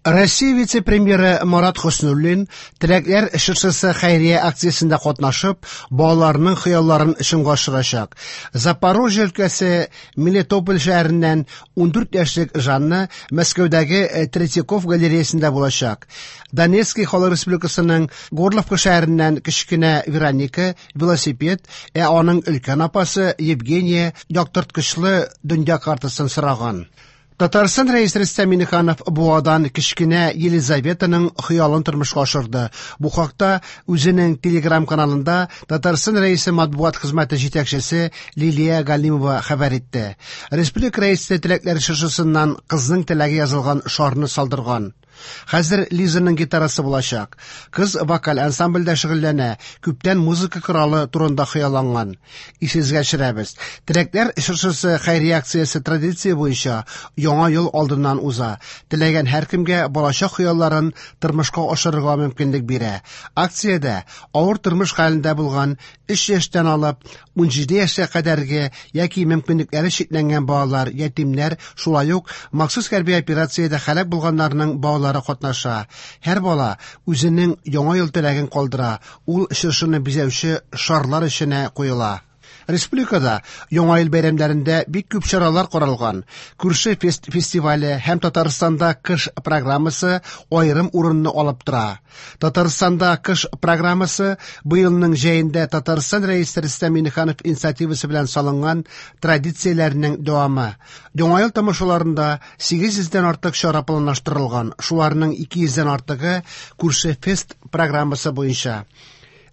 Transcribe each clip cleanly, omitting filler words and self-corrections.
Россия вице-премьеры Марат Хөснуллин Теләкләр чыршысы хәйрия акциясендә катнашып, балаларның хыялларын чынга ашырачак. Запорожье өлкәсе Мелитополь шәһәреннән 14 яшьлек Жанна Мәскәүдәге Третьяков галереясендә булачак. Донецкий Халык Республикасының Горловка шәһәреннән кечкенә Вероника велосипед, ә аның өлкән апасы Евгения яктырткычлы дөнья картасын сораган. Татарстан Рәисе Рөстәм Миңнеханов Буадан кечкенә Елизаветаның хыялын тормышка ашырды. Бу хакта үзенең Телеграм-каналында Татарстан Рәисе матбугат хезмәте җитәкчесе Лилия Галимова хәбәр итте. Республика Рәисе теләкләр чыршысыннан кызның теләге язылган шарны салдырган. Хәзер Лизаның гитарасы булачак. Кыз вокаль ансамбльдә шөгыльләнә, күптән музыка коралы турында хыялланган. Исегезгә төшерәбез, Теләкләр чыршысы хәйрия акциясе традиция буенча Яңа ел алдыннан уза. Теләгән һәркемгә балачак хыялларын тормышка ашырырга мөмкинлек бирә. Акциядә авыр тормыш хәлендә булган 3 яшьтән алып 17 яшькә кадәрге яки мөмкинлекләре чикләнгән балалар, ятимнәр, шулай ук махсус хәрби операциядә һәлак булганнарның балалары катнаша. Һәр бала үзенең Яңа ел теләген калдыра, ул чыршыны бизәүче шарлар эченә куела. Республикада Яңа ел бәйрәмнәрендә бик күп чаралар каралган. Күрше фест фестивале һәм Татарстанда кыш программасы аерым урынны алып тора. Татарстанда кыш программасы быелның җәендә Татарстан Рәисе Рөстәм Миңнеханов инициативасы белән салынган традицияләрнең дәвамы. Яңа ел тамашаларында 800 дән артык чара планлаштырылган, шуларның 200 дән артыгы Күрше фест программасы буенча.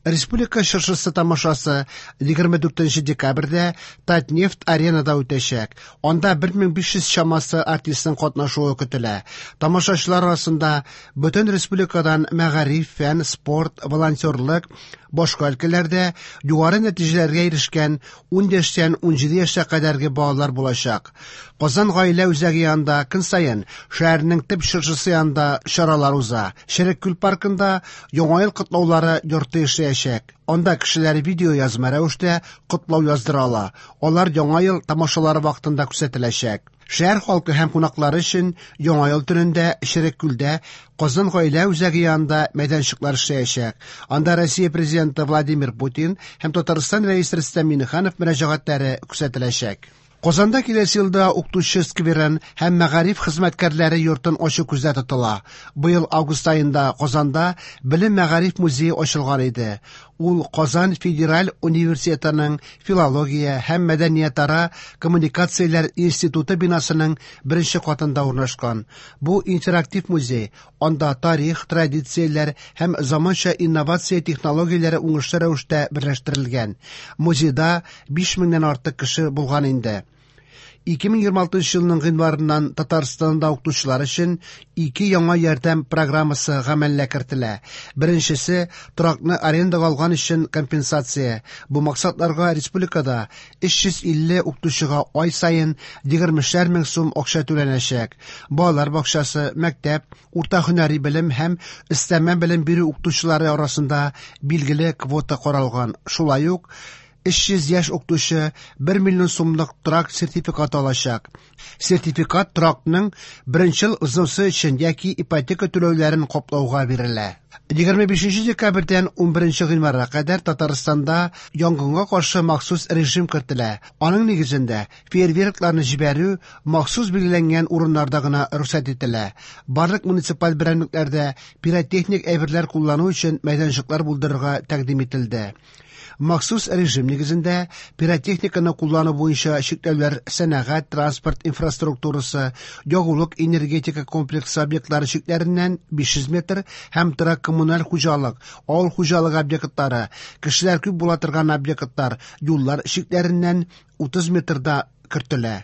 Республика чыршысы тамашасы 24 декабрьдә Татнефть аренада үтәчәк. Анда 1500 чамасы артистның катнашуы көтелә. Тамашачылар арасында бөтен республикадан мәгариф, фән, спорт, волонтерлык, башка өлкәләрдә югары нәтиҗәләргә ирешкән 10 яшьтән 17 яшькә кадәрге балалар булачак. Казан гаилә үзәге янында көн саен шәһәрнең төп чыршысы янында чаралар уза. Черек күл паркында Яңа ел котлаулары йорты эшләячәк. Анда кешеләр видеоязма рәвештә котлау яздыра ала. Алар Яңа ел тамашалары вакытында күрсәтеләчәк. Шәһәр халкы һәм кунаклары өчен Яңа ел төнендә Черек күлдә Казан гаилә үзәге янында мәйданчыклар эшләячәк. Анда Россия Президенты Владимир Путин һәм Татарстан Рәисе Рөстәм Миңнеханов мөрәҗәгатьләре күрсәтеләчәк. Казанда киләсе елда укытучы скверын һәм мәгариф хезмәткәрләре йортын ачу күздә тотыла. Быел август аенда Казанда Белем мәгариф музее ачылган иде. Ул Казан федераль университетының филология һәм мәдәниятара коммуникацияләр институты бинасының беренче катында урнашкан. Бу интерактив музей, анда тарих, традицияләр һәм заманча инновация технологияләре уңышлы рәвештә берләштерелгән. Музейда 5 меңнән артык кеше булган инде. 2026 елның гыйнварыннан Татарстанда укытучылар өчен ике яңа ярдәм программасы гамәлгә кертелә. Беренчесе торакны арендага алган өчен компенсация. Бу максатларга республикада 350 укытучыга ай саен 20 мең сум акча түләнәчәк. Балалар бакчасы, мәктәп, урта һөнәри белем һәм өстәмә белем бирү укытучылары арасында билгеле квота каралган. Шулай ук 300 яшь укытучы 1 миллион сумлык торак сертификаты алачак. Сертификат торакның беренчел взносы өчен яки ипотека түләүләрен каплауга бирелә. 25 декабрьдән 11 гыйнварга кадәр Татарстанда янгынга каршы махсус режим кертелә. Аның нигезендә фейерверкларны җибәрү махсус билгеләнгән урыннарда гына рөхсәт ителә. Барлык муниципаль берәмлекләрдә пиротехник әйберләр куллану өчен мәйданчыклар булдырырга тәкъдим ителде. Махсус режим нигезендә пиротехниканы куллану буенча чикләүләр сәнәгать, транспорт инфраструктурасы, ягулык энергетика комплексы объектлары чикләреннән 500 метр һәм торак коммуналь хуҗалык, авыл хуҗалыгы объектлары, кешеләр күп була торган объектлар, юллар чикләреннән 30 метрда кертелә.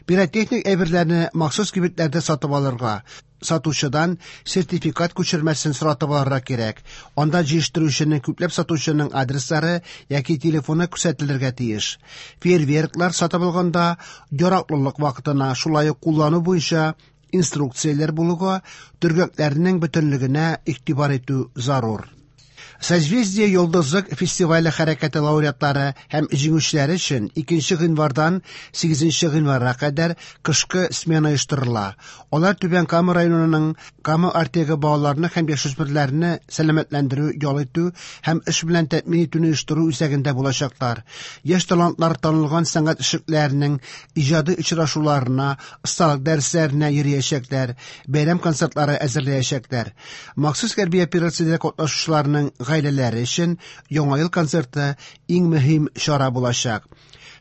Пиротехник әйберләрне махсус кибетләрдә сатып алырга, сатучыдан сертификат күчермәсен соратып алырга кирәк. Анда җыештыручының күпләп сатучының адреслары яки телефоны күрсәтелергә тиеш. Фейерверклар сатып алганда яраклылык вакытына, шулай ук куллану буенча инструкцияләр булуга, төргәкләрнең бөтенлегенә игътибар итү зарур. Созвездие Йолдызлык фестивале хәрәкәте лауреатлары һәм җиңүчеләре өчен 2 гыйнвардан 8 гыйнварга кадәр кышкы смена оештырыла. Алар Түбән Кама районының Кама Артегы балаларны һәм яшүсмерләрне сәламәтләндерү, ял итү һәм эш белән тәэмин итүне оештыру үзәгендә булачаклар. Яшь талантлар танылган сәнгать эшлекләренең иҗади очрашуларына, осталык дәресләренә йөриячәкләр, бәйрәм концертлары әзерләячәкләр. Махсус хәрби операциядә катнашучыларның гаиләләре өчен Яңа ел концерты иң мөһим чара булачак.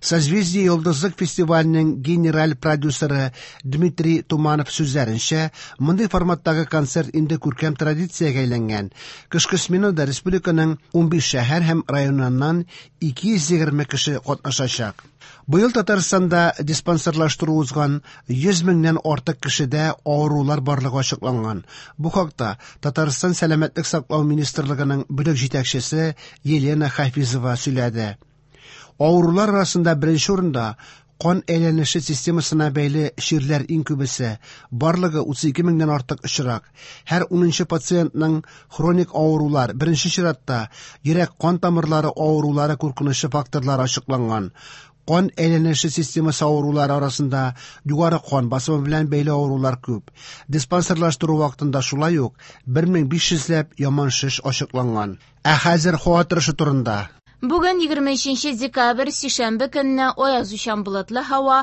Созвездие Йолдызлык фестиваленең генераль продюсеры Дмитрий Туманов сүзләренчә, мондый форматтагы концерт инде күркәм традициягә әйләнгән. Кышкы сменада республиканың 15 шәһәр һәм районыннан 220 кеше катнашачак. Быел Татарстанда диспансерлаштыру узган 100 меңнән артык кешедә авырулар барлыгы ачыкланган. Бу хакта Татарстан Сәламәтлек саклау министрлыгының бүлек җитәкчесе Елена Хафизова сөйләде. Авырулар арасында беренче урында кан әйләнеше системасына бәйле чирләр иң күбесе, барлыгы 32 меңнән артык очрак. Һәр 10 пациентның хроник авырулар, беренче чиратта йөрәк-кан тамырлары авырулары куркынычы факторлары ачыкланган. Кан әйләнеше системасы авырулары арасында югары кан басымы белән бәйле авырулар күп. Диспансерлаштыру вакытында шулай ук 1500 ләп яман шеш ачыкланган. Ә хәзер һава торышы турында. Бүген 23 декабрь, сишәмбе көнне аязучан болытлы һава,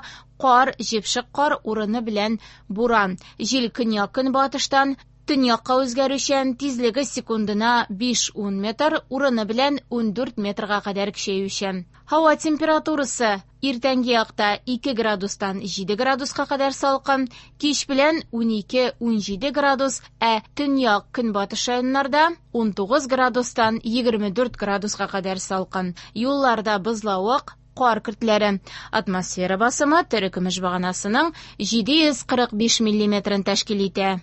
кар, җепшек кар урыны белән буран. Җил көньяк-көнбатыштан төньякка үзгәрүчән, тизлеге секундына 5-10 метр, урыны белән 14 метрга кадәр көчәючән. Һава температурасы иртәнге якта 2 градустан 7 градуска кадәр салкын, кич белән 12-17 градус, ә төньяк-көнбатыш районнарда 19 градустан 24 градуска кадәр салкын. Юлларда бозлавык, кар көртләре. Атмосфера басымы терекөмеш баганасының 745 миллиметрын тәшкил итә.